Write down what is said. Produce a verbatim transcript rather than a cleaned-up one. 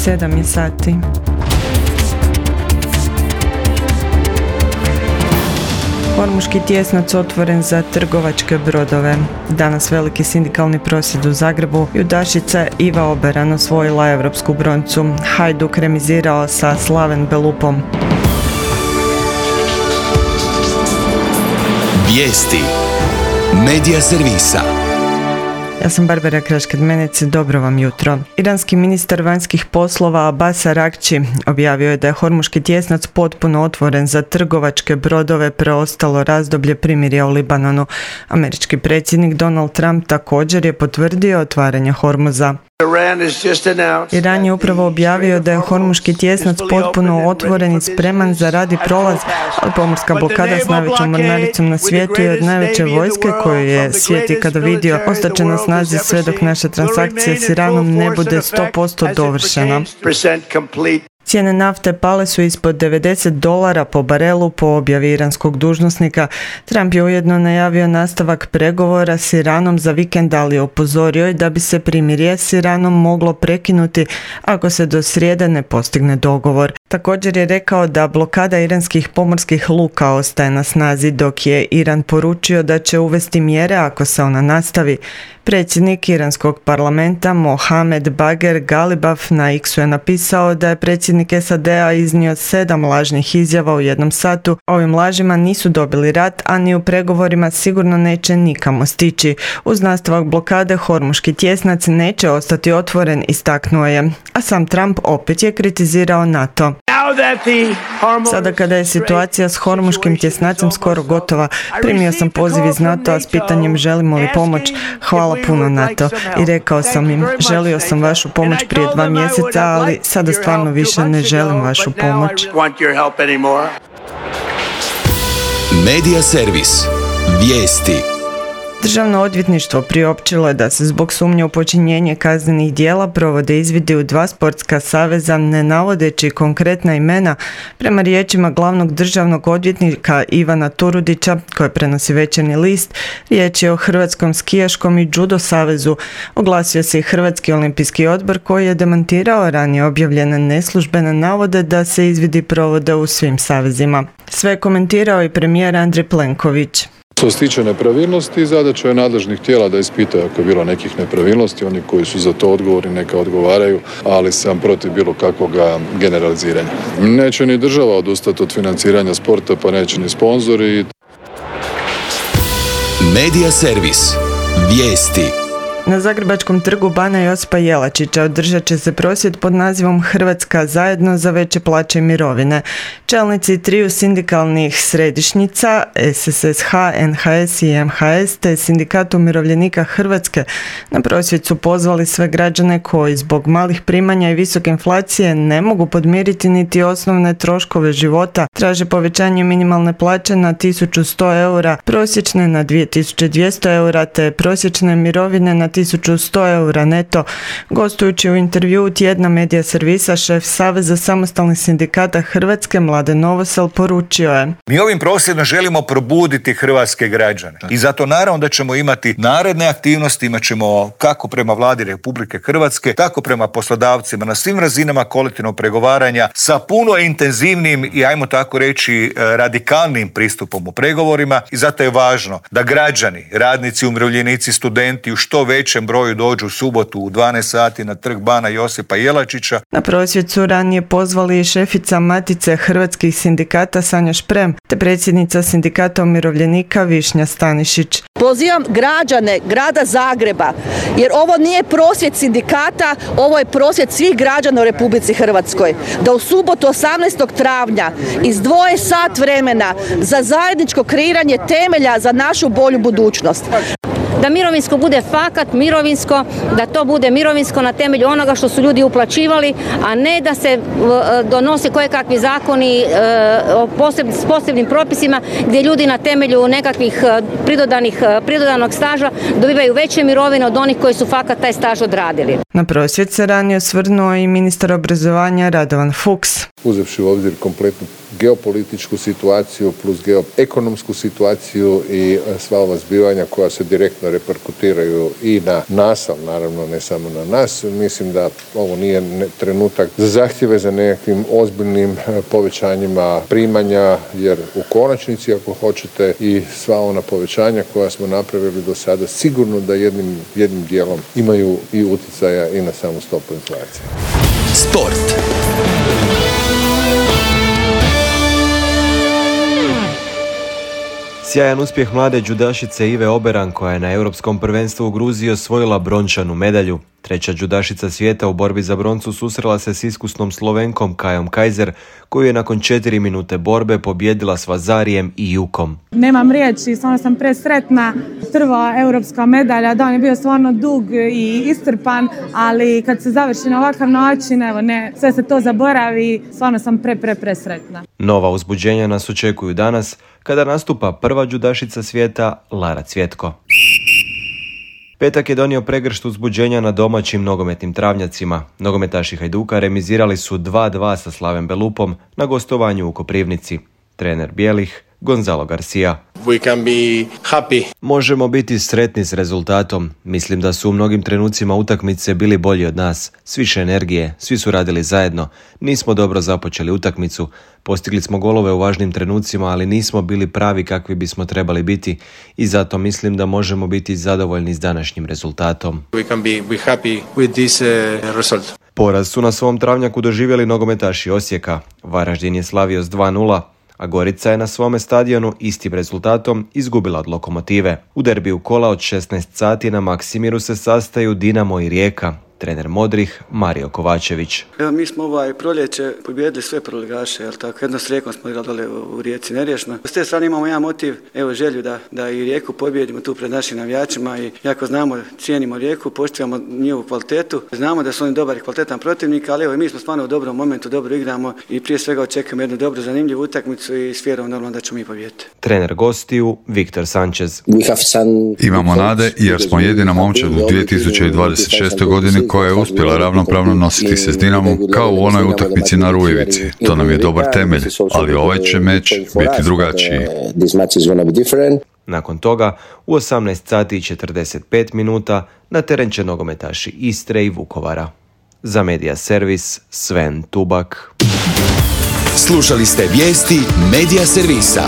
sedam je sati. Hormuški tjesnac otvoren za trgovačke brodove. Danas veliki sindikalni prosvjed u Zagrebu. Judašica Iva Oberan osvojila europsku broncu. Hajduk remizirao sa Slaven Belupom. Vijesti Medija servisa. Ja sam Barbara Krašked-Menec, dobro vam jutro. Iranski ministar vanjskih poslova Abbas Araghči objavio je da je Hormuški tjesnac potpuno otvoren za trgovačke brodove preostalo razdoblje primirja u Libanonu. Američki predsjednik Donald Trump također je potvrdio otvaranje Hormuza. Iran je upravo objavio da je Hormuški tjesnac potpuno otvoren i spreman za rad i prolaz, ali pomorska blokada s najvećom mornaricom na svijetu je od najveće vojske koju je svijet ikada vidio. Ostaće na snazi sve dok naša transakcija s Iranom ne bude sto posto dovršena. Cijene nafte pale su ispod devedeset dolara po barelu po objavi iranskog dužnosnika. Trump je ujedno najavio nastavak pregovora s Iranom za vikend, ali je upozorio da bi se primirje s Iranom moglo prekinuti ako se do srijede ne postigne dogovor. Također je rekao da blokada iranskih pomorskih luka ostaje na snazi, dok je Iran poručio da će uvesti mjere ako se ona nastavi. Predsjednik iranskog parlamenta Mohamed Bagher Ghalibaf na X-u je napisao da je predsjednik S A D-a iznio sedam lažnih izjava u jednom satu. Ovim lažima nisu dobili rat, a ni u pregovorima sigurno neće nikamo stići. Uz nastavak blokade Hormuški tjesnac neće ostati otvoren, istaknuo je. A sam Trump opet je kritizirao NATO. Sada kada je situacija s Hormuškim tjesnacem skoro gotova, primio sam poziv iz NATO-a s pitanjem želimo li pomoć. Hvala puno NATO. I rekao sam im, želio sam vašu pomoć prije dva mjeseca, ali sada stvarno više ne želim vašu pomoć. Medija servis. Vijesti. Državno odvjetništvo priopćilo je da se zbog sumnje u počinjenje kaznenih djela provode izvidi u dva sportska saveza, ne navodeći konkretna imena. Prema riječima glavnog državnog odvjetnika Ivana Turudića, koje prenosi Večernji list, riječ je o Hrvatskom skijaškom i judo savezu. Oglasio se i Hrvatski olimpijski odbor koji je demantirao ranije objavljene neslužbene navode da se izvidi provode u svim savezima. Sve je komentirao i premijer Andrej Plenković. Što se tiče nepravilnosti, zadaća je nadležnih tijela da ispitaju ako je bilo nekih nepravilnosti, oni koji su za to odgovorni neka odgovaraju, ali sam protiv bilo kakvog generaliziranja. Neće ni država odustati od financiranja sporta, pa neće ni sponzori. Medija servis. Vijesti. Na Zagrebačkom trgu Bana Josipa Jelačića održat će se prosvjed pod nazivom Hrvatska zajedno za veće plaće i mirovine. Čelnici triju sindikalnih središnjica S S S H, N H S i M H S te Sindikat umirovljenika Hrvatske na prosvjed su pozvali sve građane koji zbog malih primanja i visoke inflacije ne mogu podmiriti niti osnovne troškove života. Traže povećanje minimalne plaće na tisuću sto eura, prosječne na dvije tisuće dvjesto eura te prosječne mirovine na tisuću sto eura neto. Gostujući u intervjuu tjedna Medija servisa, šef Saveza samostalnih sindikata Hrvatske Mladen Novosel poručio je: Mi ovim prosvjedom želimo probuditi hrvatske građane i zato naravno da ćemo imati naredne aktivnosti, imat ćemo kako prema Vladi Republike Hrvatske, tako prema poslodavcima na svim razinama kolektivnog pregovaranja sa puno intenzivnim i ajmo tako reći radikalnim pristupom u pregovorima i zato je važno da građani, radnici, umirovljenici, studenti u što većem broju dođu u subotu u dvanaest sati na trg Bana Josipa Jelačića. Na prosvjed su ranije pozvali i šefica Matice hrvatskih sindikata Sanja Šprem te predsjednica Sindikata umirovljenika Višnja Stanišić. Pozivam građane grada Zagreba, jer ovo nije prosvjed sindikata, ovo je prosvjed svih građana u Republici Hrvatskoj, da u subotu osamnaestog travnja izdvoje sat vremena za zajedničko kreiranje temelja za našu bolju budućnost. Da mirovinsko bude fakat mirovinsko, da to bude mirovinsko na temelju onoga što su ljudi uplaćivali, a ne da se donose kojekakvi zakoni s posebnim propisima gdje ljudi na temelju nekakvih pridodanih, pridodanog staža dobivaju veće mirovine od onih koji su fakat taj staž odradili. Na prosvjed se ranije osvrnuo i ministar obrazovanja Radovan Fuchs. Uzevši u obzir kompletnu geopolitičku situaciju plus geoekonomsku situaciju i sva ova zbivanja koja se direktno reperkutiraju i na nas, ali naravno ne samo na nas. Mislim da ovo nije trenutak za zahtjeve za nekakvim ozbiljnim povećanjima primanja, jer u konačnici, ako hoćete, i sva ona povećanja koja smo napravili do sada sigurno da jednim, jednim dijelom imaju i utjecaja i na samu stopu inflacije. Sport. Sjajan uspjeh mlade džudašice Ive Oberan koja je na Europskom prvenstvu u Gruziji osvojila brončanu medalju. Treća džudašica svijeta u borbi za broncu susrela se s iskusnom Slovenkom Kajom Kajzer, koju je nakon četiri minute borbe pobjedila s Vazarijem i Jukom. Nemam riječi, stvarno sam presretna. Prva europska medalja, dan je bio stvarno dug i istrpan, ali kad se završi na ovakav način, evo ne, sve se to zaboravi, stvarno sam pre, pre, presretna. Nova uzbuđenja nas očekuju danas, kada nastupa prva džudašica svijeta Lara Cvjetko. Petak je donio pregršt uzbuđenja na domaćim nogometnim travnjacima. Nogometaši Hajduka remizirali su dva dva sa Slaven Belupom na gostovanju u Koprivnici. Trener bijelih Gonzalo Garcia. We can be happy. Možemo biti sretni s rezultatom. Mislim da su u mnogim trenucima utakmice bili bolji od nas. S više energije, svi su radili zajedno. Nismo dobro započeli utakmicu. Postigli smo golove u važnim trenucima, ali nismo bili pravi kakvi bismo trebali biti i zato mislim da možemo biti zadovoljni s današnjim rezultatom. We can be, be happy with this uh, result. Poraz su na svom travnjaku doživjeli nogometaši Osijeka. Varaždin je slavio s dva nula, a Gorica je na svome stadionu istim rezultatom izgubila od Lokomotive. U derbiju kola od šesnaest sati na Maksimiru se sastaju Dinamo i Rijeka. Trener modrih Mario Kovačević. Evo, mi smo ovaj proljeće pobijedili sve prvoligaše, jel tako? Jedno s Rijekom smo igrali dole u Rijeci neriješno. S te strane imamo jedan motiv, evo želju da, da i Rijeku pobijedimo tu pred našim navijačima i jako znamo, cijenimo Rijeku, poštivamo njihovu kvalitetu. Znamo da su oni dobar i kvalitetan protivnik, ali evo mi smo stvarno u dobrom momentu, dobro igramo i prije svega očekujemo jednu dobru zanimljivu utakmicu i s vjerom normalno da ćemo mi pobijediti. Trener gostiju Viktor Sanchez. Imamo nade jer smo jedina momčad u dvije tisuće dvadeset šestoj godini koja je uspjela ravnopravno nositi se s Dinamom kao u onoj utakmici na Rujevici. To nam je dobar temelj, ali ovaj će meč biti drugačiji. Nakon toga, u osamnaest sati i četrdeset pet minuta na teren će nogometaši Istre i Vukovara. Za Medija Servis, Sven Tubak. Slušali ste vijesti Medija Servisa.